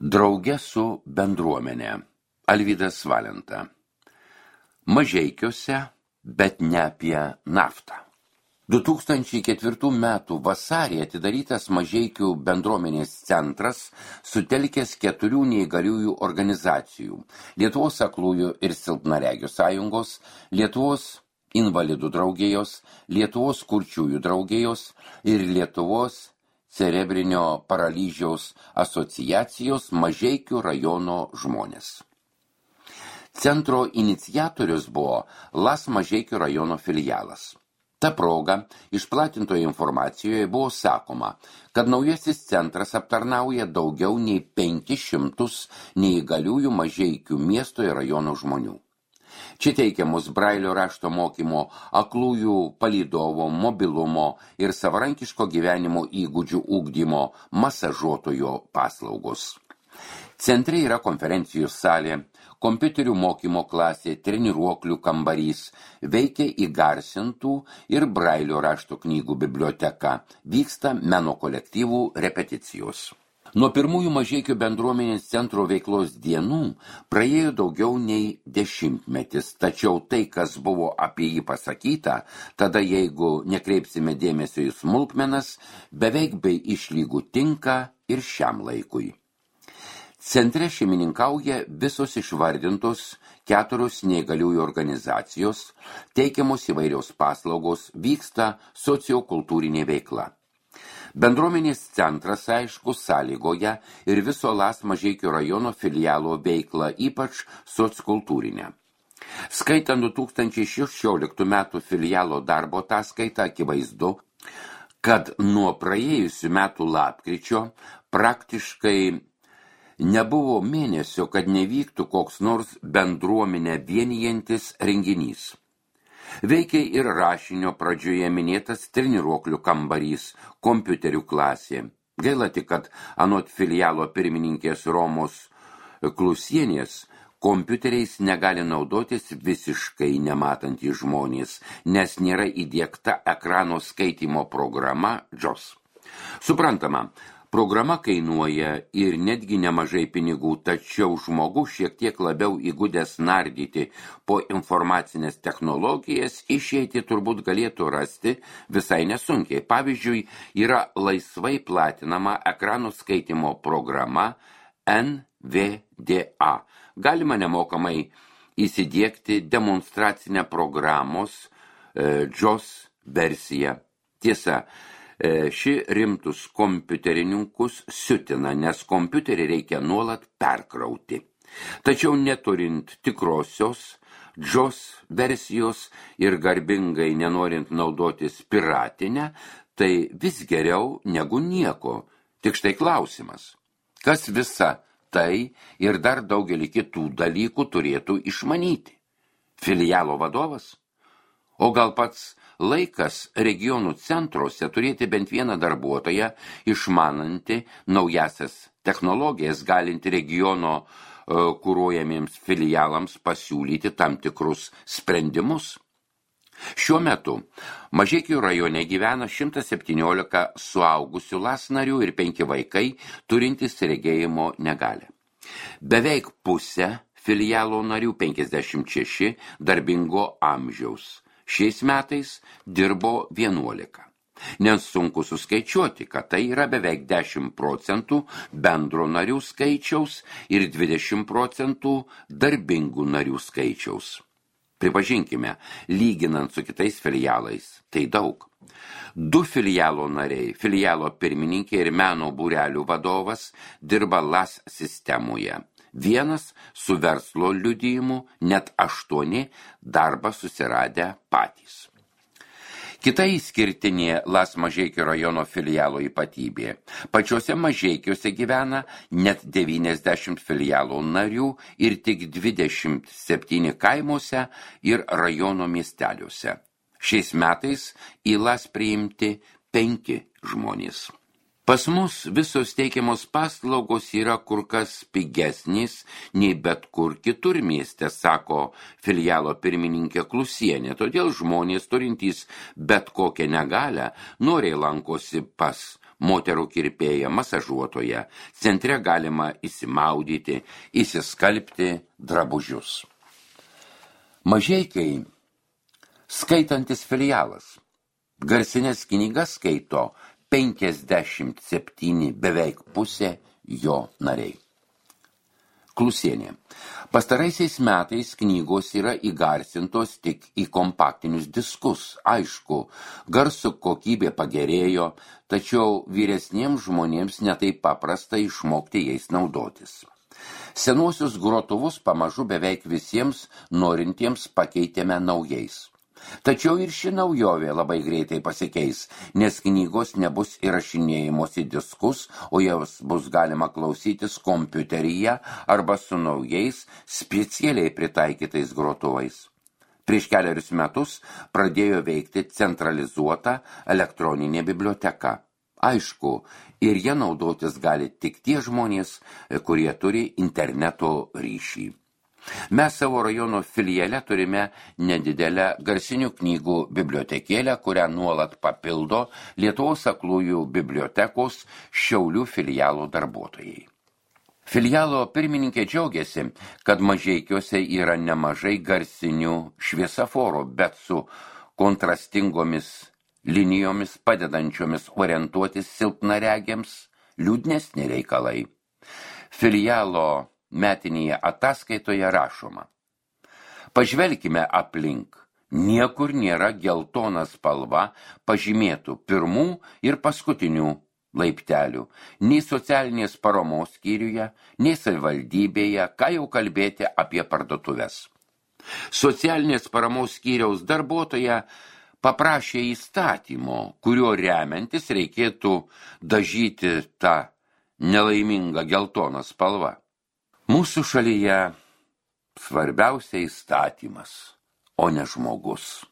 Drauge su bendruomenė. Alvydas Valenta. Mažeikiuose, bet ne apie naftą. 2004 metų vasarį atidarytas Mažeikių bendruomenės centras sutelkęs 4 neįgaliųjų organizacijų – Lietuvos aklųjų ir silpnaregių sąjungos, Lietuvos invalidų draugijos, Lietuvos kurčiųjų draugijos ir Lietuvos cerebrinio paralyžiaus asociacijos Mažeikių rajono žmonės. Centro iniciatorius buvo LAS Mažeikių rajono filialas. Ta proga išplatintoje informacijoje buvo sakoma, kad naujasis centras aptarnauja daugiau nei 500 neįgaliųjų Mažeikių miesto ir rajono žmonių. Čia teikiamus brailio rašto mokymo, aklųjų palydovo, mobilumo ir savarankiško gyvenimo įgūdžių ugdymo masažuotojo paslaugos. Centre yra konferencijų salė, kompiuterių mokymo klasė, treniruoklių kambarys, veikia įgarsintų ir brailio rašto knygų biblioteka, vyksta meno kolektyvų repeticijos. Nuo pirmųjų Mažeikių bendruomenės centro veiklos dienų praėjo daugiau nei 10 metų, tačiau tai, kas buvo apie jį pasakyta, tada jeigu nekreipsime dėmesio į smulkmenas, beveik bei išlygų tinka ir šiam laikui. Centre šeimininkauja visos išvardintos 4 neįgaliųjų organizacijos, teikiamos įvairios paslaugos, vyksta sociokultūrinė veikla. Bendruomenės centras, aišku, sąlygoja ir viso LAS Mažeikių rajono filialo veiklą, ypač sociokultūrinę. Skaitant 2016 metų filialo darbo ataskaitą, akivaizdu, kad nuo praėjusių metų lapkričio praktiškai nebuvo mėnesio, kad nevyktų koks nors bendruomenę vienijantis renginys. Veikia ir rašinio pradžioje minėtas treniruoklių kambarys, kompiuterių klasė. Gaila tik, kad anot filialo pirmininkės Romos Klusienės kompiuteriais negali naudotis visiškai nematantys žmonės, nes nėra įdiegta ekrano skaitymo programa JOS. Suprantama, programa kainuoja ir netgi nemažai pinigų, tačiau žmogus šiek tiek labiau įgudęs nardyti po informacinės technologijas išeiti turbūt galėtų rasti visai nesunkiai. Pavyzdžiui, yra laisvai platinama ekranų skaitimo programa NVDA. Galima nemokamai įsidiegti demonstracinę programos JOS versiją. Tiesa, ši rimtus kompiuterininkus siutina, nes kompiuterį reikia nuolat perkrauti. Tačiau neturint tikrosios JOS versijos ir garbingai nenorint naudotis piratinę, tai vis geriau negu nieko. Tik štai klausimas, kas visa tai ir dar daugelį kitų dalykų turėtų išmanyti? Filialo vadovas? O gal pats laikas regionų centruose turėti bent vieną darbuotoją, išmanantį naujasias technologijas, galinti regiono kuruojamiems filialams pasiūlyti tam tikrus sprendimus. Šiuo metu Mažeikių rajone gyvena 117 suaugusių LAS narių ir 5 vaikai turintys regėjimo negalią. Beveik pusė filialo narių 56 darbingo amžiaus. Šiais metais dirbo 11. Nes sunku suskaičiuoti, kad tai yra beveik 10% bendro narių skaičiaus ir 20% darbingų narių skaičiaus. Pripažinkime, lyginant su kitais filialais, tai daug. 2 filialo nariai, filialo pirmininkė ir meno būrelių vadovas dirba LAS sistemoje. 1 su verslo liudijimu, net 8 darbą susiradę patys. Kita išskirtinė LAS Mažeikių rajono filialo ypatybė. Pačiuose Mažeikiuose gyvena net 90 filialo narių ir tik 27 kaimuose ir rajono miesteliuose. Šiais metais į LAS priimti 5 žmonės. Pas mus visos teikiamos paslaugos yra kur kas pigesnės nei bet kur kitur mieste, sako filialo pirmininkė Klusienė. Todėl žmonės turintys bet kokią negalią noriai lankosi pas moterų kirpėja, masažuotoja. Centre galima įsimaudyti, įsiskalbti drabužius. Mažeikiai skaitantis filialas. Garsinės knygas skaito 57, beveik pusė jo nariai. Klusienė. Pastaraisiais metais knygos yra įgarsintos tik į kompaktinius diskus. Aišku, garso kokybė pagerėjo, tačiau vyresniems žmonėms netaip paprasta išmokti jais naudotis. Senuosius grotuvus pamažu beveik visiems norintiems pakeitėme naujais. Tačiau ir ši naujovė labai greitai pasikeis, nes knygos nebus įrašinėjimos į diskus, o jas bus galima klausytis kompiuteryje arba su naujais, specialiai pritaikytais grotuvais. Prieš kelerius metus pradėjo veikti centralizuota elektroninė biblioteka. Aišku, ir jie naudotis gali tik tie žmonės, kurie turi interneto ryšį. Mes savo rajono filiale turime nedidelę garsinių knygų bibliotekėlę, kurią nuolat papildo Lietuvos aklųjų bibliotekos Šiaulių filialo darbuotojai. Filialo pirmininkė džiaugiasi, kad Mažeikiuose yra nemažai garsinių šviesaforų, bet su kontrastingomis linijomis padedančiomis orientuotis silpnaregiams liūdnesni reikalai. Filialo metinėje ataskaitoje rašoma: pažvelkime aplink, niekur nėra geltona spalva pažymėtų pirmų ir paskutinių laiptelių, nei socialinės paramos skyriuje, nei savivaldybėje, ką jau kalbėti apie parduotuves. Socialinės paramos skyriaus darbuotoja paprašė įstatymo, kuriuo remiantis reikėtų dažyti tą nelaimingą geltoną spalvą. Mūsų šalyje svarbiausia įstatymas, o ne žmogus.